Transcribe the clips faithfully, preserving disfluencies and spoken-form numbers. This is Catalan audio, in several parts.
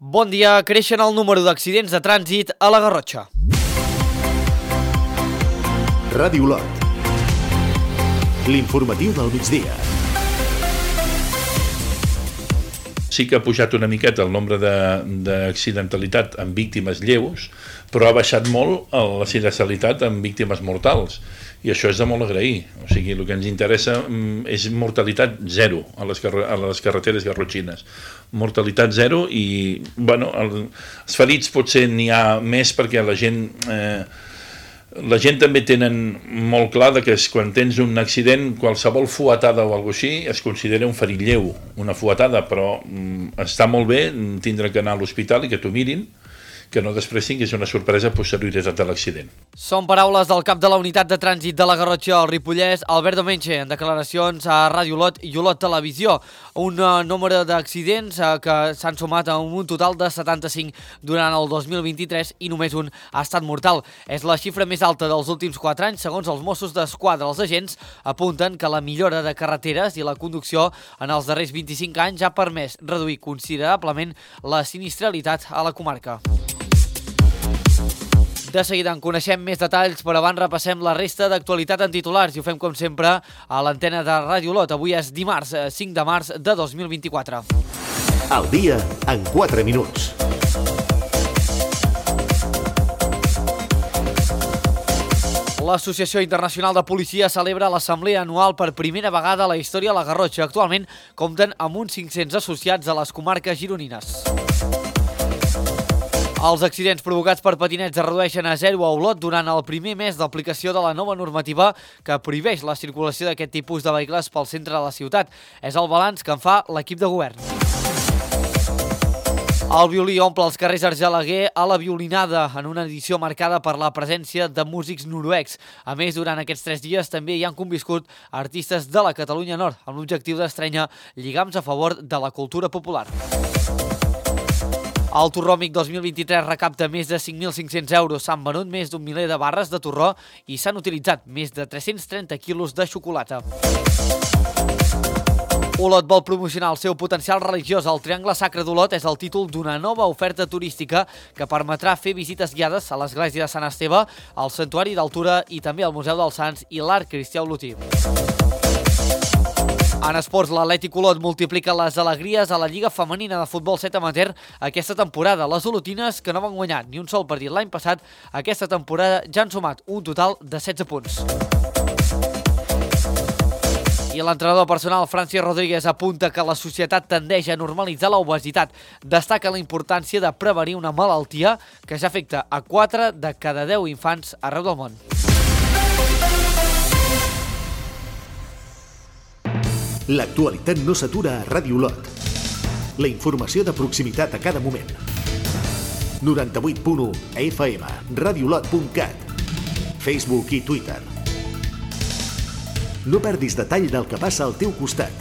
Bon dia, creixen el número d'accidents de trànsit a la Garrotxa. Ràdio Olot. L'informatiu del migdia. Sí que ha pujat una miqueta el nombre d'accidentalitat amb víctimes lleus, però ha baixat molt la sinistralitat amb víctimes mortals. I això és de molt agrair. O sigui, el que ens interessa és mortalitat zero a les, carre a les carreteres garrotxines. Mortalitat zero i, bueno, el, els ferits potser n'hi ha més perquè la gent... Eh, la gent també tenen molt clar que és, quan tens un accident, qualsevol fuetada o alguna cosa així es considera un ferit lleu, una fuetada, però mm, està molt bé tindre que anar a l'hospital i que t'ho mirin, que no després tinguis una sorpresa posterioritat de l'accident. Són paraules del cap de la unitat de trànsit de la Garrotxa al Ripollès, Albert Domenge, en declaracions a Ràdio Olot i Olot Televisió. Un uh, número d'accidents uh, que s'han sumat a un total de setanta-cinc durant el dos mil vint-i-tres i només un ha estat mortal. És la xifra més alta dels últims quatre anys, segons els Mossos d'Esquadra. Els agents apunten que la millora de carreteres i la conducció en els darrers vint-i-cinc anys ha permès reduir considerablement la sinistralitat a la comarca. De seguida en coneixem més detalls, però abans repassem la resta d'actualitat en titulars i ho fem com sempre a l'antena de Ràdio Olot. Avui és dimarts, cinc de març de dos mil vint-i-quatre. El dia en quatre minuts. L'Associació Internacional de Policia celebra l'assemblea anual per primera vegada a la història a la Garrotxa. Actualment compten amb uns cinc-cents associats a les comarques gironines. Els accidents provocats per patinets es redueixen a zero a Olot durant el primer mes d'aplicació de la nova normativa que prohibeix la circulació d'aquest tipus de vehicles pel centre de la ciutat. És el balanç que en fa l'equip de govern. El violí omple els carrers Argelaguer a la violinada en una edició marcada per la presència de músics noruecs. A més, durant aquests tres dies també hi han conviscut artistes de la Catalunya Nord amb l'objectiu d'estrènyer lligams a favor de la cultura popular. El Torròmic dos mil vint-i-tres recapta més de cinc mil cinc-cents euros. S'han venut més d'un miler de barres de torró i s'han utilitzat més de tres-cents trenta quilos de xocolata. Olot vol promocionar el seu potencial religiós. El Triangle Sacre d'Olot és el títol d'una nova oferta turística que permetrà fer visites guiades a l'església de Sant Esteve, al Santuari d'Altura i també al Museu dels Sants i l'Arc Cristià Olotí. En esports, l'Atlètic Olot multiplica les alegries a la Lliga Femenina de Futbol set amateur aquesta temporada. Les olotines, que no van guanyar ni un sol partit l'any passat, aquesta temporada ja han sumat un total de setze punts. I l'entrenador personal Francis Rodríguez apunta que la societat tendeix a normalitzar l'obesitat. Destaca la importància de prevenir una malaltia que ja afecta a quatre de cada deu infants arreu del món. L'actualitat no s'atura a Ràdio Olot. La informació de proximitat a cada moment. noranta-vuit punt u F M, radiolot punt cat, Facebook i Twitter. No perdis detall del que passa al teu costat.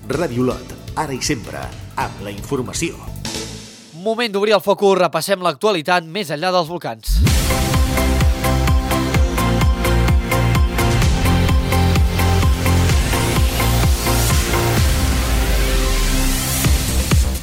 Ràdio Olot, ara i sempre, amb la informació. Moment d'obrir el focus, repassem l'actualitat més enllà dels volcans.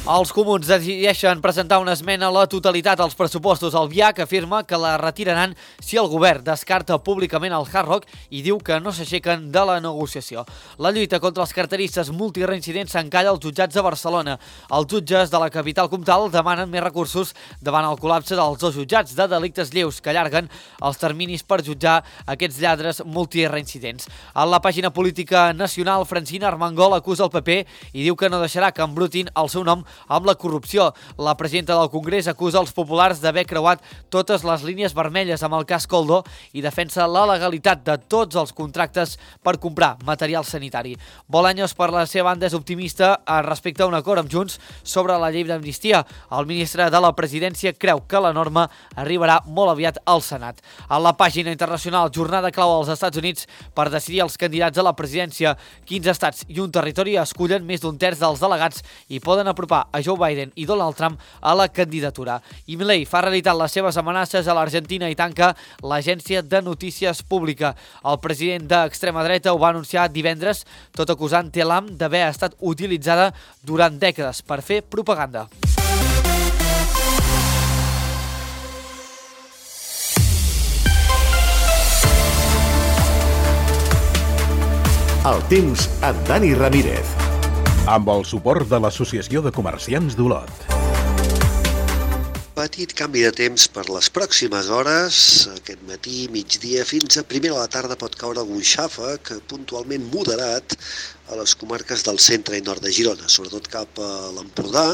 Els comuns decideixen presentar una esmena a la totalitat als pressupostos. El V I A C afirma que la retiraran si el govern descarta públicament el Hard Rock i diu que no s'aixequen de la negociació. La lluita contra els carteristes multireincidents s'encalla als jutjats de Barcelona. Els jutges de la capital comtal demanen més recursos davant el col·lapse dels dos jutjats de delictes lleus que allarguen els terminis per jutjar aquests lladres multireincidents. A la pàgina política nacional, Francina Armengol acusa el P P i diu que no deixarà que embrutin el seu nom amb la corrupció. La presidenta del Congrés acusa els populars d'haver creuat totes les línies vermelles amb el cas Koldo i defensa la legalitat de tots els contractes per comprar material sanitari. Bolaños, per la seva banda, és optimista respecte a un acord amb Junts sobre la llei d'amnistia. El ministre de la presidència creu que la norma arribarà molt aviat al Senat. A la pàgina internacional, jornada clau als Estats Units per decidir els candidats a la presidència. quinze estats i un territori escullen més d'un terç dels delegats i poden apropar portar a Joe Biden i Donald Trump a la candidatura. I Milei fa realitat les seves amenaces a l'Argentina i tanca l'agència de notícies pública. El president d'extrema dreta ho va anunciar divendres, tot acusant Telam d'haver estat utilitzada durant dècades per fer propaganda. El temps amb Dani Ramírez. Amb el suport de l'Associació de Comerciants d'Olot. Petit canvi de temps per les pròximes hores. Aquest matí, migdia, fins a primera de la tarda pot caure algun xàfec puntualment moderat a les comarques del centre i nord de Girona, sobretot cap a l'Empordà,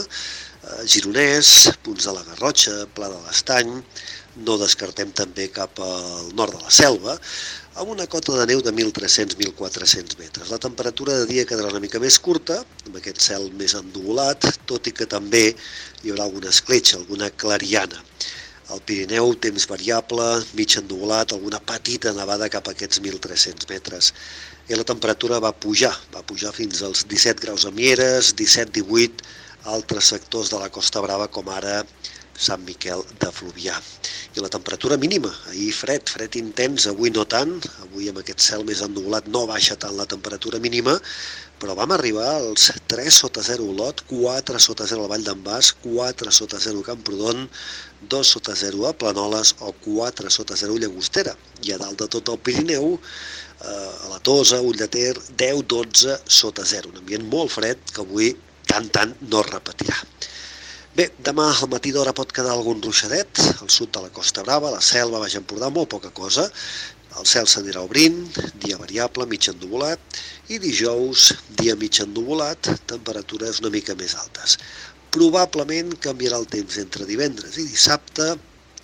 Gironès, punts de la Garrotxa, Pla de l'Estany. No descartem també cap al nord de la Selva, amb una cota de neu de mil tres-cents a mil quatre-cents metres. La temperatura de dia quedarà una mica més curta, amb aquest cel més ennuvolat, tot i que també hi haurà alguna escletxa, alguna clariana. Al Pirineu, temps variable, mig ennuvolat, alguna petita nevada cap a aquests mil tres-cents metres. I la temperatura va pujar, va pujar fins als disset graus a Mieres, disset divuit a altres sectors de la Costa Brava, com ara Sant Miquel de Fluvià. I la temperatura mínima, ahir fred, fred intens, avui no tant, avui amb aquest cel més ennuvolat no baixa tant la temperatura mínima, però vam arribar als tres sota zero a Olot, quatre sota zero a la Vall d'en Bas, quatre sota zero a Camprodon, dos sota zero a Planoles o quatre sota zero a Llagostera. I a dalt de tot el Pirineu, a la Tosa, Ull de Ter, deu dotze sota zero. Un ambient molt fred que avui tant tant no es repetirà. Bé, demà al matí d'hora pot quedar algun ruixadet, al sud de la Costa Brava, la Selva, Baix Empordà, molt poca cosa. El cel s'anirà obrint, dia variable, mig ennuvolat, i dijous, dia mig ennuvolat, temperatures una mica més altes. Probablement canviarà el temps entre divendres i dissabte,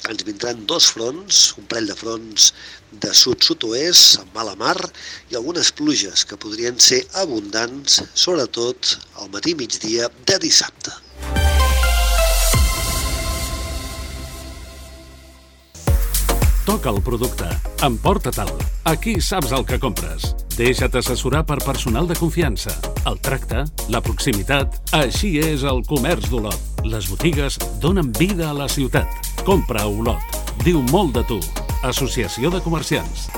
ens vindran dos fronts, un parell de fronts de sud-sud-oest, amb mala mar, i algunes pluges que podrien ser abundants, sobretot al matí migdia de dissabte. Toca el producte. Emporta-te'l. Aquí saps el que compres. Deixa't assessorar per personal de confiança. El tracte, la proximitat, així és el comerç d'Olot. Les botigues donen vida a la ciutat. Compra a Olot. Diu molt de tu. Associació de Comerciants.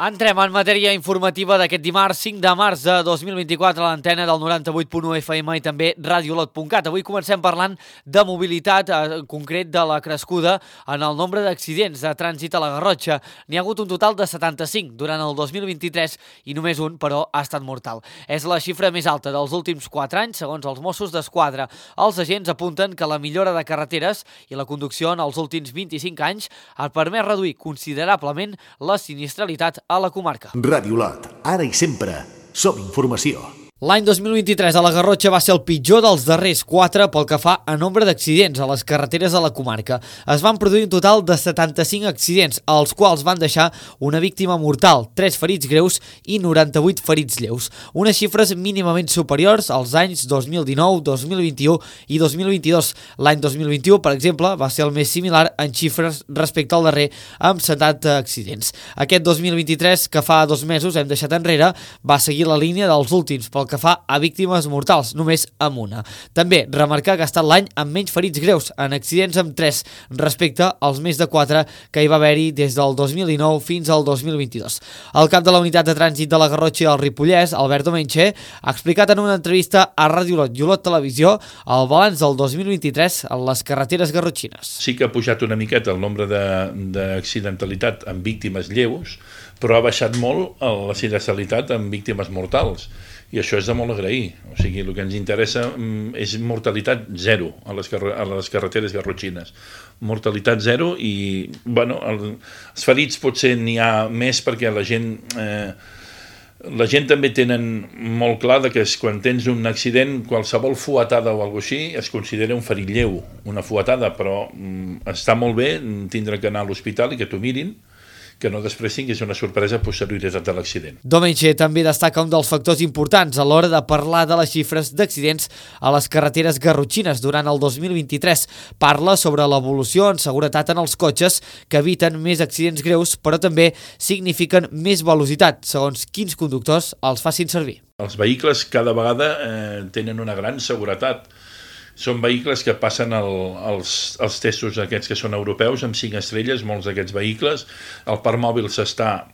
Entrem en matèria informativa d'aquest dimarts cinc de març de dos mil vint-i-quatre a l'antena del noranta-vuit punt u F M i també radiolot punt cat. Avui comencem parlant de mobilitat, en concret de la crescuda en el nombre d'accidents de trànsit a la Garrotxa. N'hi ha hagut un total de setanta-cinc durant el dos mil vint-i-tres i només un, però, ha estat mortal. És la xifra més alta dels últims quatre anys, segons els Mossos d'Esquadra. Els agents apunten que la millora de carreteres i la conducció en els últims vint-i-cinc anys ha permès reduir considerablement la sinistralitat a la comarca. Radiolot, ara i sempre, som informació. L'any dos mil vint-i-tres a la Garrotxa va ser el pitjor dels darrers quatre pel que fa a nombre d'accidents a les carreteres de la comarca. Es van produir un total de setanta-cinc accidents, als quals van deixar una víctima mortal, tres ferits greus i noranta-vuit ferits lleus. Unes xifres mínimament superiors als anys dos mil dinou, dos mil vint-i-u i dos mil vint-i-dos. L'any dos mil vint-i-u, per exemple, va ser el més similar en xifres respecte al darrer, amb setanta accidents. Aquest dos mil vint-i-tres, que fa dos mesos hem deixat enrere, va seguir la línia dels últims pel que que fa a víctimes mortals, només amb una. També remarcar que ha estat l'any amb menys ferits greus, en accidents amb tres, respecte als més de quatre que hi va haver-hi des del dos mil dinou fins al dos mil vint-i-dos. El cap de la unitat de trànsit de la Garrotxa i el Ripollès, Albert Domenche, ha explicat en una entrevista a Ràdio Olot i Olot Televisió el balanç del dos mil vint-i-tres en les carreteres garrotxines. Sí que ha pujat una miqueta el nombre d'accidentalitat amb víctimes lleus, però ha baixat molt la sinistralitat amb víctimes mortals. I això és de molt agrair. O sigui, el que ens interessa és mortalitat zero a les, carre a les carreteres garrotxines. Mortalitat zero i, bueno, el, els ferits potser n'hi ha més perquè la gent... Eh, la gent també tenen molt clar que quan tens un accident, qualsevol fuetada o alguna cosa així es considera un ferit lleu, una fuetada, però mm, està molt bé tindre que anar a l'hospital i que t'ho mirin que no després tinguis una sorpresa a posterioritat de l'accident. Domènech també destaca un dels factors importants a l'hora de parlar de les xifres d'accidents a les carreteres garrotxines durant el dos mil vint-i-tres. Parla sobre l'evolució en seguretat en els cotxes que eviten més accidents greus, però també signifiquen més velocitat, segons quins conductors els facin servir. Els vehicles cada vegada eh, tenen una gran seguretat. Són vehicles que passen el, els, els testos aquests que són europeus amb cinc estrelles, molts d'aquests vehicles. El parc mòbil s'està,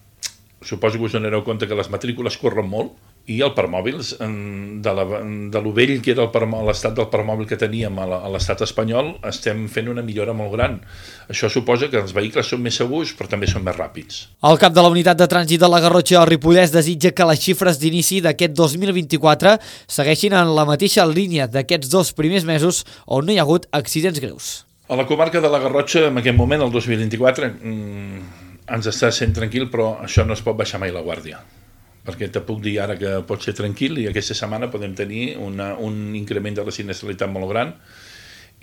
suposo que us donareu compte que les matrícules corren molt, i el parc mòbil, de, la, de lo vell que era l'estat del parc mòbil que teníem a l'estat espanyol, estem fent una millora molt gran. Això suposa que els vehicles són més segurs, però també són més ràpids. El cap de la unitat de trànsit de la Garrotxa al Ripollès desitja que les xifres d'inici d'aquest dos mil vint-i-quatre segueixin en la mateixa línia d'aquests dos primers mesos on no hi ha hagut accidents greus. A la comarca de la Garrotxa, en aquest moment, el dos mil vint-i-quatre, mmm, ens està sent tranquil, però això no es pot baixar mai la guàrdia. Perquè te puc dir ara que pot ser tranquil i aquesta setmana podem tenir una, un increment de la sinistralitat molt gran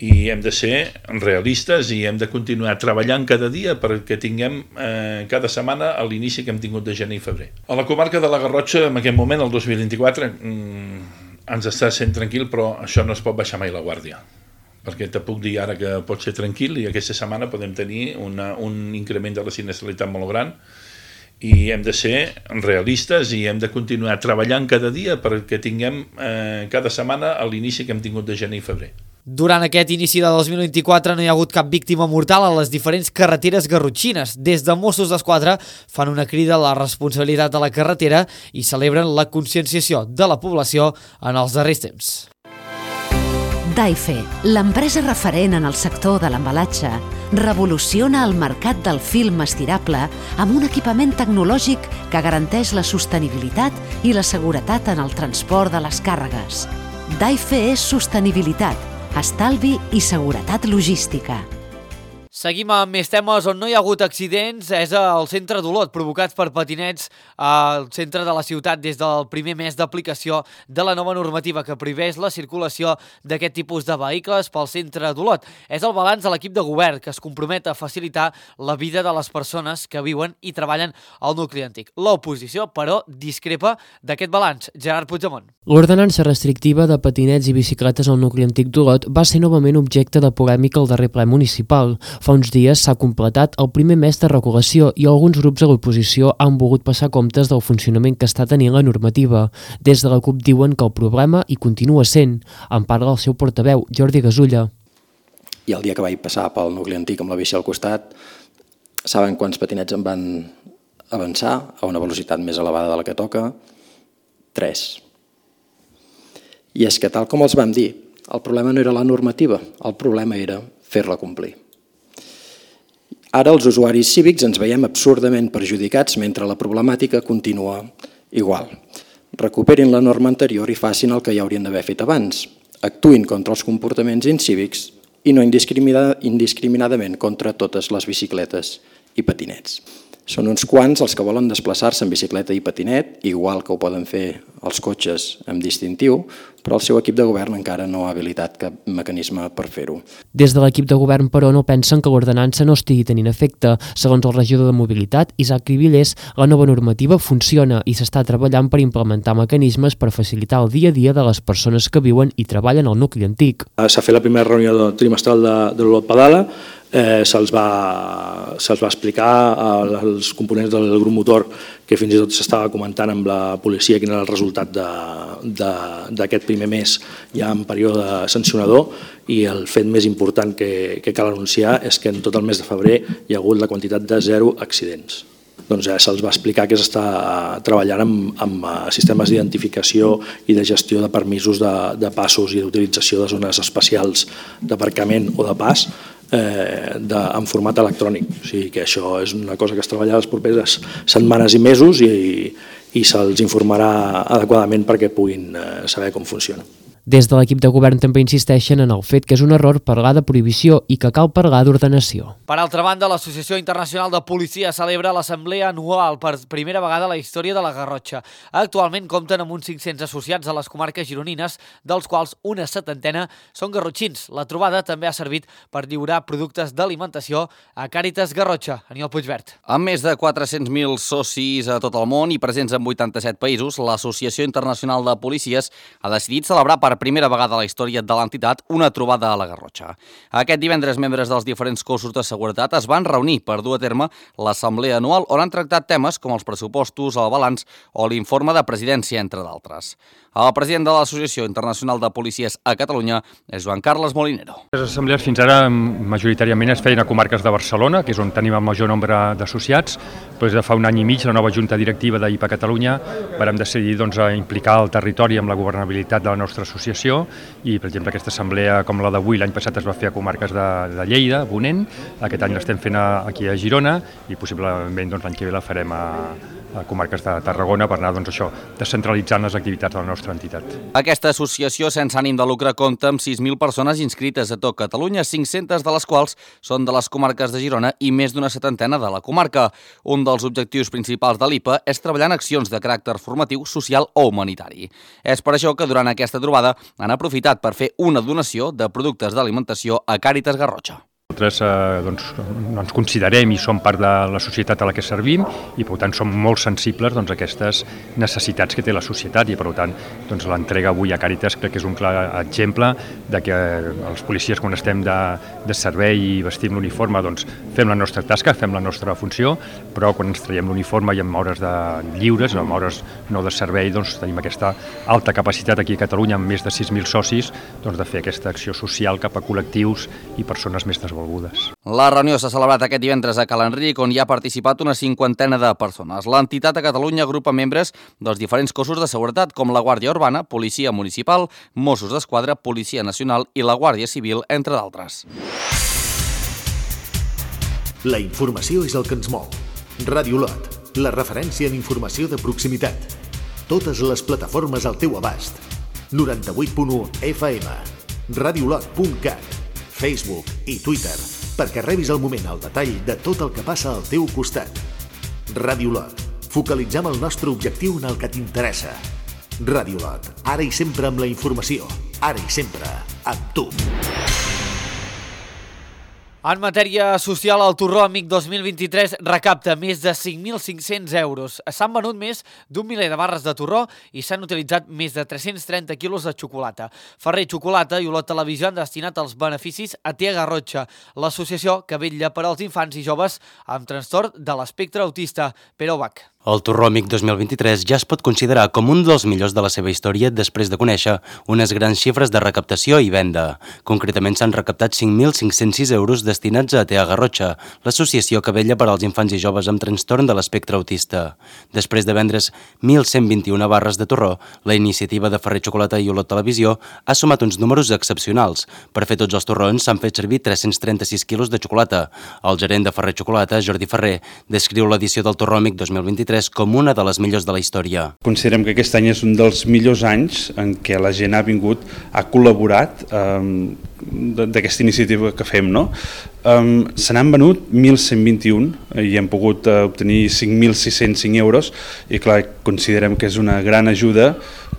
i hem de ser realistes i hem de continuar treballant cada dia perquè tinguem eh, cada setmana a l'inici que hem tingut de gener i febrer. A la comarca de la Garrotxa, en aquest moment, el dos mil vint-i-quatre, mmm, ens està sent tranquil, però això no es pot baixar mai la guàrdia. Perquè te puc dir ara que pot ser tranquil i aquesta setmana podem tenir una, un increment de la sinistralitat molt gran i hem de ser realistes i hem de continuar treballant cada dia perquè tinguem eh, cada setmana a l'inici que hem tingut de gener i febrer. Durant aquest inici de dos mil vint-i-quatre no hi ha hagut cap víctima mortal a les diferents carreteres garrotxines. Des de Mossos d'Esquadra fan una crida a la responsabilitat de la carretera i celebren la conscienciació de la població en els darrers temps. Daife, l'empresa referent en el sector de l'embalatge, revoluciona el mercat del film estirable amb un equipament tecnològic que garanteix la sostenibilitat i la seguretat en el transport de les càrregues. Daife és sostenibilitat, estalvi i seguretat logística. Seguim amb més temes on no hi ha hagut accidents. És al centre d'Olot, provocats per patinets al centre de la ciutat des del primer mes d'aplicació de la nova normativa que prohibeix la circulació d'aquest tipus de vehicles pel centre d'Olot. És el balanç de l'equip de govern que es compromet a facilitar la vida de les persones que viuen i treballen al nucli antic. L'oposició, però, discrepa d'aquest balanç. Gerard Puigdemont. L'ordenança restrictiva de patinets i bicicletes al nucli antic d'Olot va ser novament objecte de polèmica al darrer ple municipal. Fa uns dies s'ha completat el primer mes de regulació i alguns grups de l'oposició han volgut passar comptes del funcionament que està tenint la normativa. Des de la CUP diuen que el problema hi continua sent. En parla el seu portaveu, Jordi Gasulla. I el dia que vaig passar pel nucli antic amb la bici al costat, saben quants patinets em van avançar a una velocitat més elevada de la que toca? Tres. I és que tal com els vam dir, el problema no era la normativa, el problema era fer-la complir. Ara els usuaris cívics ens veiem absurdament perjudicats mentre la problemàtica continua igual. Recuperin la norma anterior i facin el que ja haurien d'haver fet abans. Actuïn contra els comportaments incívics i no indiscriminadament contra totes les bicicletes i patinets. Són uns quants els que volen desplaçar-se en bicicleta i patinet, igual que ho poden fer els cotxes amb distintiu, però el seu equip de govern encara no ha habilitat cap mecanisme per fer-ho. Des de l'equip de govern, però, no pensen que l'ordenança no estigui tenint efecte. Segons el regidor de Mobilitat, Isaac Cribillers, la nova normativa funciona i s'està treballant per implementar mecanismes per facilitar el dia a dia de les persones que viuen i treballen al nucli antic. S'ha fet la primera reunió trimestral de, de l'Olot Pedala, eh, se'ls va, se'ls va explicar als components del grup motor que fins i tot s'estava comentant amb la policia quin era el resultat d'aquest primer mes ja en període sancionador, i el fet més important que, que cal anunciar és que en tot el mes de febrer hi ha hagut la quantitat de zero accidents. Doncs eh, se'ls va explicar que s'està treballant amb, amb sistemes d'identificació i de gestió de permisos de, de passos i d'utilització de zones especials d'aparcament o de pas eh, de, en format electrònic. O sigui que això és una cosa que es treballarà les properes setmanes i mesos i, i se'ls informarà adequadament perquè puguin eh, saber com funciona. Des de l'equip de govern també insisteixen en el fet que és un error parlar de prohibició i que cal parlar d'ordenació. Per altra banda, l'Associació Internacional de Policia celebra l'assemblea anual per primera vegada a la història de la Garrotxa. Actualment compten amb uns cinc-cents associats a les comarques gironines, dels quals una setantena són garrotxins. La trobada també ha servit per lliurar productes d'alimentació a Càritas Garrotxa. Aniol Puigvert. Amb més de quatre-cents mil socis a tot el món i presents en vuitanta-set països, l'Associació Internacional de Policies ha decidit celebrar per primera vegada a la història de l'entitat una trobada a la Garrotxa. Aquest divendres, membres dels diferents cossos de seguretat es van reunir per dur a terme l'assemblea anual on han tractat temes com els pressupostos, el balanç o l'informe de presidència, entre d'altres. El president de l'Associació Internacional de Policies a Catalunya és Joan Carles Molinero. Les assemblees fins ara majoritàriament es feien a comarques de Barcelona, que és on tenim el major nombre d'associats. Després de fa un any i mig, la nova junta directiva d'I P A Catalunya vam decidir doncs, implicar el territori amb la governabilitat de la nostra associació i, per exemple, aquesta assemblea com la d'avui l'any passat es va fer a comarques de, de Lleida, Ponent, aquest any l'estem fent a, aquí a Girona i possiblement doncs, l'any que ve la farem a, a comarques de Tarragona per anar doncs, això, descentralitzant les activitats de la nostra entitat. Aquesta associació sense ànim de lucre compta amb sis mil persones inscrites a tot Catalunya, cinc-centes de les quals són de les comarques de Girona i més d'una setantena de la comarca. Un dels objectius principals de l'I P A és treballar en accions de caràcter formatiu, social o humanitari. És per això que durant aquesta trobada han aprofitat per fer una donació de productes d'alimentació a Càritas Garrotxa. Nosaltres eh, doncs, ens considerem i som part de la societat a la que servim i per tant som molt sensibles doncs, a aquestes necessitats que té la societat i per tant doncs, l'entrega avui a Càritas crec que és un clar exemple de que els policies quan estem de, de servei i vestim l'uniforme doncs, fem la nostra tasca, fem la nostra funció, però quan ens traiem l'uniforme i en hores de lliures, en hores no de servei, doncs, tenim aquesta alta capacitat aquí a Catalunya amb més de sis mil socis doncs, de fer aquesta acció social cap a col·lectius i persones més desvolgudes. La reunió s'ha celebrat aquest divendres a Cal Enric, on hi ha participat una cinquantena de persones. L'entitat a Catalunya agrupa membres dels diferents cossos de seguretat, com la Guàrdia Urbana, Policia Municipal, Mossos d'Esquadra, Policia Nacional i la Guàrdia Civil, entre d'altres. La informació és el que ens mou. Ràdio Lot, la referència en informació de proximitat. Totes les plataformes al teu abast. noranta-vuit punt u F M, radiolot punt cat, Facebook i Twitter, perquè rebis al moment el detall de tot el que passa al teu costat. Ràdio Lot, focalitzem el nostre objectiu en el que t'interessa. Ràdio Lot, ara i sempre amb la informació, ara i sempre amb tu. En matèria social, el Torró Amic dos mil vint-i-tres recapta més de cinc mil cinc-cents euros. S'han venut més d'un miler de barres de torró i s'han utilitzat més de tres-cents trenta quilos de xocolata. Ferrer Xocolata i Olot Televisió han destinat els beneficis a Tea Garrotxa, l'associació que vetlla per als infants i joves amb trastorn de l'espectre autista. Pere Ubach. El Torró Amic dos mil vint-i-tres ja es pot considerar com un dels millors de la seva història després de conèixer unes grans xifres de recaptació i venda. Concretament s'han recaptat cinc mil cinc-cents sis euros destinats a Tea Garrotxa, l'associació que vetlla per als infants i joves amb trastorn de l'espectre autista. Després de vendre's mil cent vint-i-una barres de torró, la iniciativa de Ferrer Xocolata i Olot Televisió ha sumat uns números excepcionals. Per fer tots els torrons s'han fet servir tres-cents trenta-sis quilos de xocolata. El gerent de Ferrer Xocolata, Jordi Ferrer, descriu l'edició del Torró Amic dos mil vint-i-tres com una de les millors de la història. Considerem que aquest any és un dels millors anys en què la gent ha vingut, ha col·laborat eh, d'aquesta iniciativa que fem, no? Um, se n'han venut mil cent vint-i-un i hem pogut uh, obtenir cinc mil sis-cents cinc euros i clar, considerem que és una gran ajuda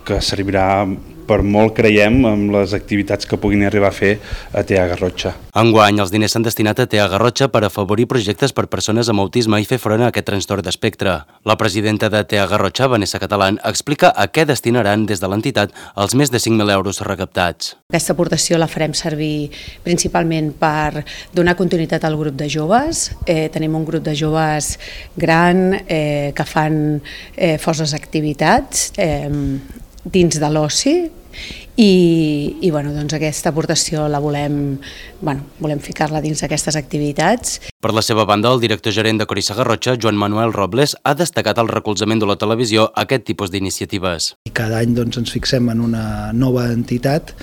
que servirà per molt, creiem, amb les activitats que puguin arribar a fer a Tea Garrotxa. Enguany, els diners s'han destinat a Tea Garrotxa per afavorir projectes per persones amb autisme i fer front a aquest trastorn d'espectre. La presidenta de Tea Garrotxa, Vanessa Catalán, explica a què destinaran des de l'entitat els més de cinc mil euros recaptats. Aquesta aportació la farem servir principalment per donar continuïtat al grup de joves. Eh, tenim un grup de joves gran eh, que fan eh, forces activitats eh, dins de l'oci i, i bueno, doncs aquesta aportació la volem, bueno, volem ficar-la dins d'aquestes activitats. Per la seva banda, el director gerent de Corissa Garrotxa, Joan Manuel Robles, ha destacat el recolzament de la televisió a aquest tipus d'iniciatives. Cada any doncs, ens fixem en una nova entitat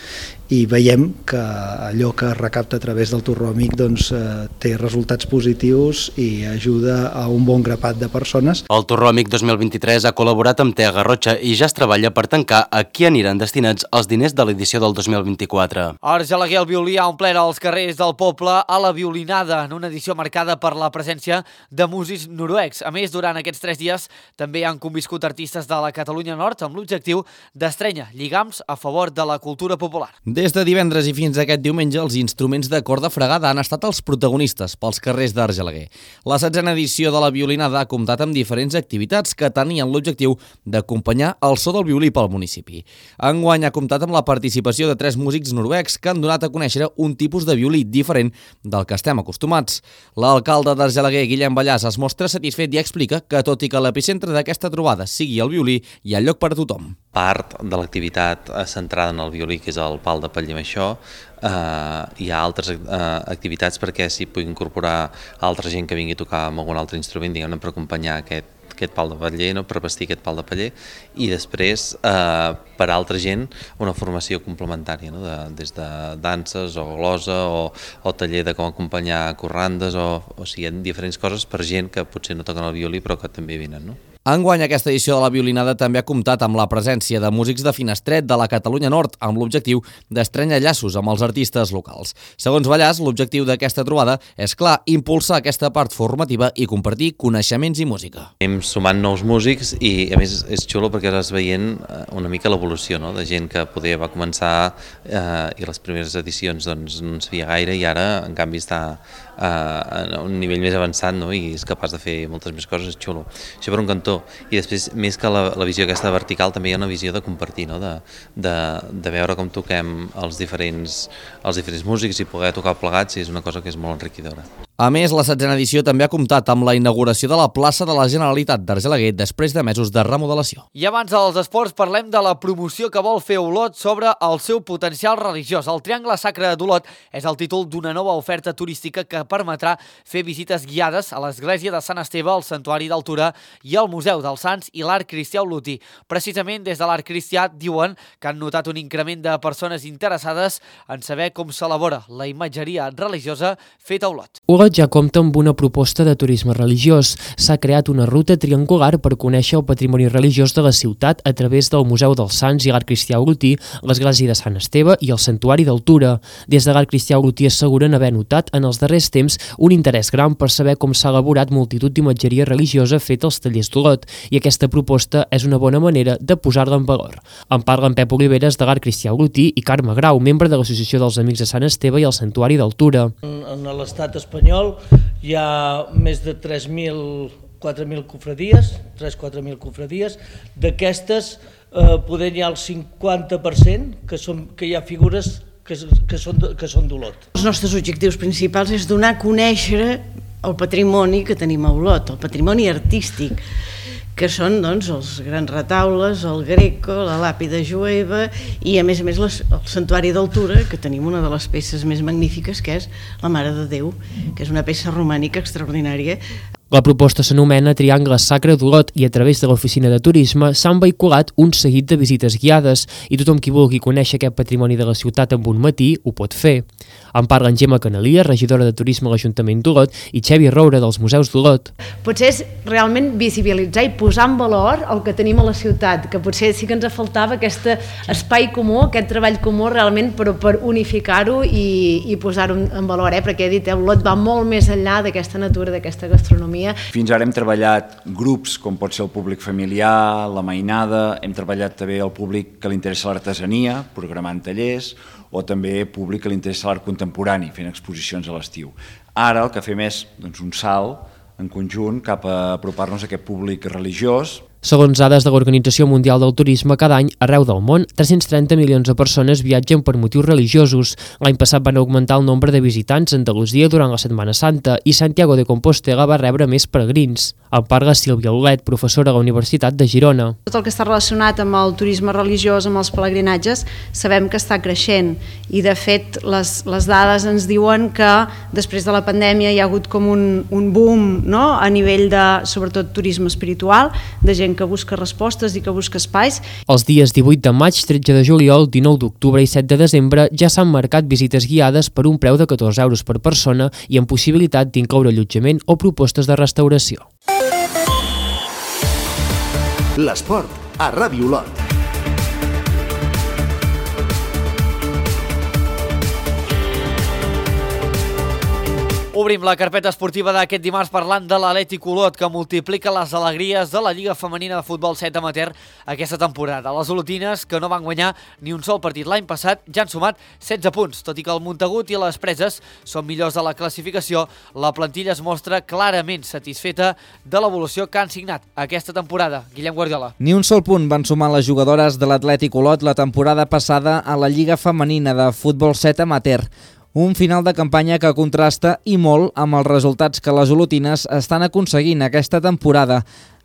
i veiem que allò que es recapta a través del Torró Amic doncs, eh, té resultats positius i ajuda a un bon grapat de persones. El Torró Amic dos mil vint-i-tres ha col·laborat amb Tea Garrotxa i ja es treballa per tancar a qui aniran destinats els diners de l'edició del dos mil vint-i-quatre. Argelaguer, el violí ha omplert els carrers del poble a la violinada, en una edició marcada per la presència de músics noruecs. A més, durant aquests tres dies també han conviscut artistes de la Catalunya Nord amb l'objectiu d'estrènyer lligams a favor de la cultura popular. Des de divendres i fins aquest diumenge, els instruments de corda fregada han estat els protagonistes pels carrers d'Argelaguer. La setzena edició de la violinada ha comptat amb diferents activitats que tenien l'objectiu d'acompanyar el so del violí pel municipi. Enguany ha comptat amb la participació de tres músics noruecs que han donat a conèixer un tipus de violí diferent del que estem acostumats. L'alcalde d'Argelaguer, Guillem Ballàs, es mostra satisfet i explica que, tot i que l'epicentre d'aquesta trobada sigui el violí, hi ha lloc per a tothom. Part de l'activitat centrada en el violí, que és el pal de paller amb això, eh, hi ha altres eh, activitats perquè s'hi pugui incorporar altra gent que vingui a tocar amb algun altre instrument, diguem-ne, per acompanyar aquest, aquest pal de paller, no? Per vestir aquest pal de paller, i després eh, per altra gent una formació complementària, no? de, des de danses o glosa o, o taller de com acompanyar corrandes, o, o sigui, hi ha diferents coses per gent que potser no toquen el violí però que també venen, no? Enguany, aquesta edició de la violinada també ha comptat amb la presència de músics de Finestret de la Catalunya Nord, amb l'objectiu d'estrènyer llaços amb els artistes locals. Segons Ballàs, l'objectiu d'aquesta trobada és, clar, impulsar aquesta part formativa i compartir coneixements i música. Anem sumant nous músics i, a més, és xulo perquè vas veient una mica l'evolució, no? De gent que poder va començar eh, i les primeres edicions doncs, no en sabia gaire, i ara, en canvi, està eh, a un nivell més avançat, no? I és capaç de fer moltes més coses, és xulo. Això per un cantó. I després, més que la, la visió aquesta vertical, també hi ha una visió de compartir, no? de, de, de veure com toquem els diferents, els diferents músics i poder tocar plegats, i és una cosa que és molt enriquidora. A més, la setzena edició també ha comptat amb la inauguració de la plaça de la Generalitat d'Argelaguer després de mesos de remodelació. I abans dels esports parlem de la promoció que vol fer Olot sobre el seu potencial religiós. El Triangle Sacre d'Olot és el títol d'una nova oferta turística que permetrà fer visites guiades a l'església de Sant Esteve, al Santuari d'Altura i al Museu dels Sants i l'Art Cristià Olotí. Precisament des de l'Art Cristià diuen que han notat un increment de persones interessades en saber com s'elabora la imatgeria religiosa feta a Olot. Olot ja compta amb una proposta de turisme religiós. S'ha creat una ruta triangular per conèixer el patrimoni religiós de la ciutat a través del Museu dels Sants i l'Art Cristià Olotí, l'església de Sant Esteve i el Santuari d'Altura. Des de l'Art Cristià Olotí asseguren haver notat en els darrers temps un interès gran per saber com s'ha elaborat multitud d'imatgeria religiosa feta als tallers d'Olot, i aquesta proposta és una bona manera de posar-la en valor. En parlen Pep Oliveres de l'Art Cristià Olotí i Carme Grau, membre de l'Associació dels Amics de Sant Esteve i el Santuari d'Altura. En l'estat espanyol hi ha més de tres mil, quatre mil cofradies, tres a quatre mil cofradies. D'aquestes, eh, poder hi ha el cinquanta per cent que, són, que hi ha figures que, que són, que són d'Olot. Els nostres objectius principals és donar a conèixer el patrimoni que tenim a Olot, el patrimoni artístic, que són doncs, els grans retaules, el Greco, la làpida jueva i, a més a més, les, el Santuari d'Altura, que tenim una de les peces més magnífiques, que és la Mare de Déu, que és una peça romànica extraordinària. La proposta s'anomena Triangle Sacre d'Olot i a través de l'oficina de turisme s'han vehiculat un seguit de visites guiades i tothom qui vulgui conèixer aquest patrimoni de la ciutat en un matí ho pot fer. En parlen Gemma Canalia, regidora de Turisme a l'Ajuntament d'Olot, i Xavi Roure dels Museus d'Olot. Potser és realment visibilitzar i posar en valor el que tenim a la ciutat, que potser sí que ens faltava aquest espai comú, aquest treball comú realment per, per unificar-ho i, i posar-ho en valor, eh? Perquè he dit, eh, Olot va molt més enllà d'aquesta natura, d'aquesta gastronomia. Fins ara hem treballat grups com pot ser el públic familiar, la mainada, hem treballat també el públic que li interessa l'artesania, programant tallers, o també públic que li interessa l'art contemporani, fent exposicions a l'estiu. Ara el que fem és doncs, un salt en conjunt cap a apropar-nos a aquest públic religiós. Segons dades de l'Organització Mundial del Turisme, cada any, arreu del món, tres-cents trenta milions de persones viatgen per motius religiosos. L'any passat van augmentar el nombre de visitants a Andalusia durant la Setmana Santa i Santiago de Compostela va rebre més peregrins. En parla Sílvia Olet, professora a la Universitat de Girona. Tot el que està relacionat amb el turisme religiós, amb els pelegrinatges, sabem que està creixent i de fet les, les dades ens diuen que després de la pandèmia hi ha hagut com un, un boom, no? A nivell de, sobretot, turisme espiritual, de gent que busca respostes i que busca espais. Els dies divuit de maig, tretze de juliol, dinou d'octubre i set de desembre ja s'han marcat visites guiades per un preu de catorze euros per persona i amb possibilitat d'incloure allotjament o propostes de restauració. L'esport a Ràdio Olot. Obrim la carpeta esportiva d'aquest dimarts parlant de l'Atlètic Olot, que multiplica les alegries de la Lliga Femenina de Futbol set amateur aquesta temporada. Les olotines, que no van guanyar ni un sol partit l'any passat, ja han sumat setze punts. Tot i que el Montagut i les Preses són millors de la classificació, la plantilla es mostra clarament satisfeta de l'evolució que han signat aquesta temporada. Guillem Guardiola. Ni un sol punt van sumar les jugadores de l'Atlètic Olot la temporada passada a la Lliga Femenina de Futbol set amateur. Un final de campanya que contrasta i molt amb els resultats que les olotines estan aconseguint aquesta temporada.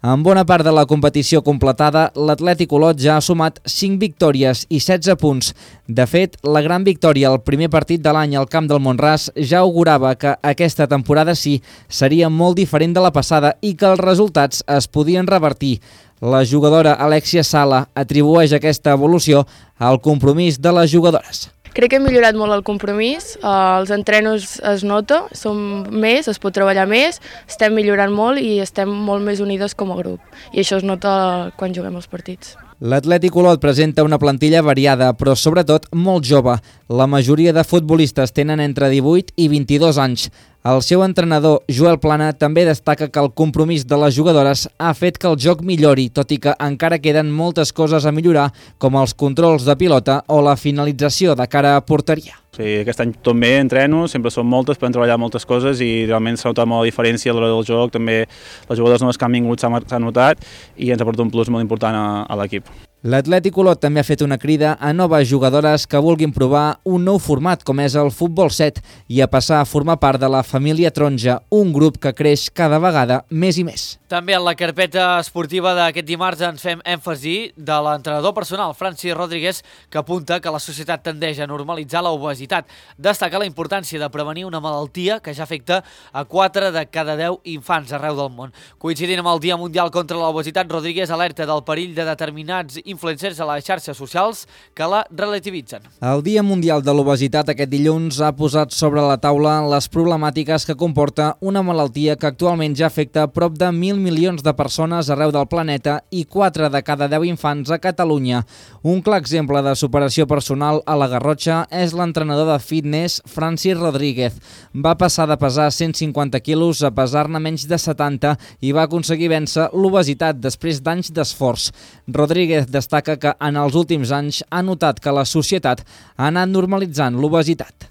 En bona part de la competició completada, l'Atlètic Olot ja ha sumat cinc victòries i setze punts. De fet, la gran victòria al primer partit de l'any al camp del Mont-ras ja augurava que aquesta temporada sí seria molt diferent de la passada i que els resultats es podien revertir. La jugadora Alexia Sala atribueix aquesta evolució al compromís de les jugadores. Crec que hem millorat molt el compromís, els entrenos es nota, som més, es pot treballar més, estem millorant molt i estem molt més unides com a grup. I això es nota quan juguem els partits. L'Atlètic Olot presenta una plantilla variada, però sobretot molt jove. La majoria de futbolistes tenen entre divuit i vint-i-dos anys. El seu entrenador, Joel Plana, també destaca que el compromís de les jugadores ha fet que el joc millori, tot i que encara queden moltes coses a millorar, com els controls de pilota o la finalització de cara a porteria. Sí, aquest any tot bé, entreno, sempre són moltes, podem treballar moltes coses i realment s'ha notat molt la diferència a l'hora del joc, també les jugadores noves que han vingut s'ha notat i ens ha portat un plus molt important a, a l'equip. L'Atlètic Olot també ha fet una crida a noves jugadores que vulguin provar un nou format com és el Futbol set i a passar a formar part de la família taronja, un grup que creix cada vegada més i més. També en la carpeta esportiva d'aquest dimarts ens fem èmfasi de l'entrenador personal Francis Rodríguez, que apunta que la societat tendeix a normalitzar l'obesitat. Destaca la importància de prevenir una malaltia que ja afecta a quatre de cada deu infants arreu del món. Coincidint amb el Dia Mundial contra l'Obesitat, Rodríguez alerta del perill de determinats influencers a les xarxes socials que la relativitzen. El Dia Mundial de l'Obesitat aquest dilluns ha posat sobre la taula les problemàtiques que comporta una malaltia que actualment ja afecta prop de mil milions de persones arreu del planeta i quatre de cada deu infants a Catalunya. Un clar exemple de superació personal a la Garrotxa és l'entrenador de fitness Francis Rodríguez. Va passar de pesar cent cinquanta quilos a pesar-ne menys de setanta i va aconseguir vèncer l'obesitat després d'anys d'esforç. Rodríguez destaca que en els últims anys ha notat que la societat ha anat normalitzant l'obesitat.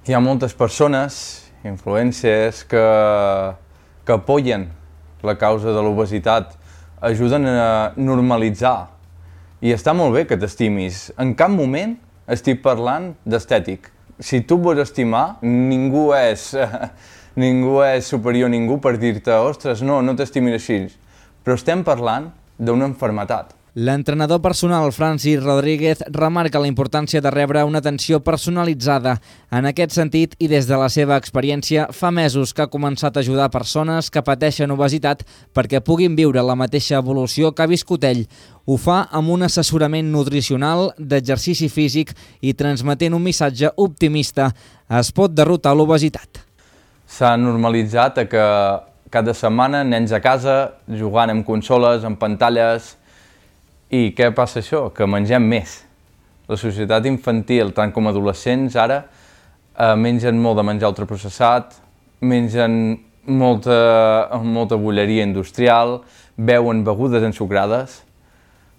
Hi ha moltes persones, influencers, que, que apoyen la causa de l'obesitat, ajuden a normalitzar. I està molt bé que t'estimis. En cap moment estic parlant d'estètic. Si tu et vols estimar, ningú és, ningú és superior a ningú per dir-te ostres, no, no t'estimis així. Però estem parlant d'una malaltia. L'entrenador personal Francis Rodríguez remarca la importància de rebre una atenció personalitzada. En aquest sentit, i des de la seva experiència, fa mesos que ha començat a ajudar persones que pateixen obesitat perquè puguin viure la mateixa evolució que ha viscut ell. Ho fa amb un assessorament nutricional, d'exercici físic i transmetent un missatge optimista. Es pot derrotar l'obesitat. S'ha normalitzat que cada setmana nens a casa jugant amb consoles, amb pantalles. I què passa això? Que mengem més. La societat infantil, tant com adolescents, ara eh, mengen molt de menjar ultraprocessat, mengen molta, molta bolleria industrial, beuen begudes ensucrades.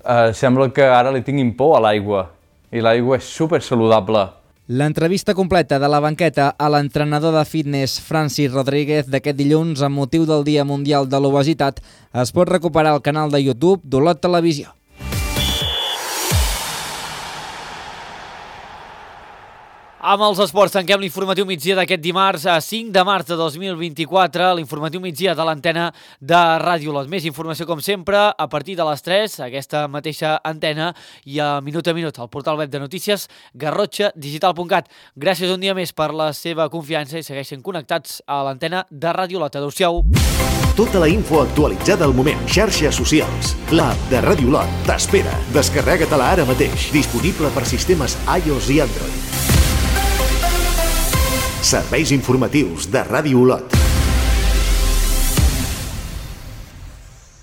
Eh, sembla que ara li tinguin por a l'aigua, i l'aigua és super saludable. L'entrevista completa de la banqueta a l'entrenador de fitness Francis Rodríguez d'aquest dilluns amb motiu del Dia Mundial de l'Obesitat es pot recuperar al canal de YouTube d'Olot Televisió. Amb els esports tanquem l'informatiu migdia d'aquest dimarts a cinc de març de dos mil vint-i-quatre, l'informatiu migdia de l'antena de Ràdio Olot. Més informació, com sempre, a partir de les tres, aquesta mateixa antena, i a minut a minut al portal web de notícies garrotxa digital punt cat. Gràcies un dia més per la seva confiança i segueixen connectats a l'antena de Ràdio Olot. Adéu-siau. Tota la info actualitzada al moment. Xarxes socials. L'app de Ràdio Olot t'espera. Descarrega-te-la ara mateix. Disponible per sistemes iOS i Android. Serveis informatius de Ràdio Olot.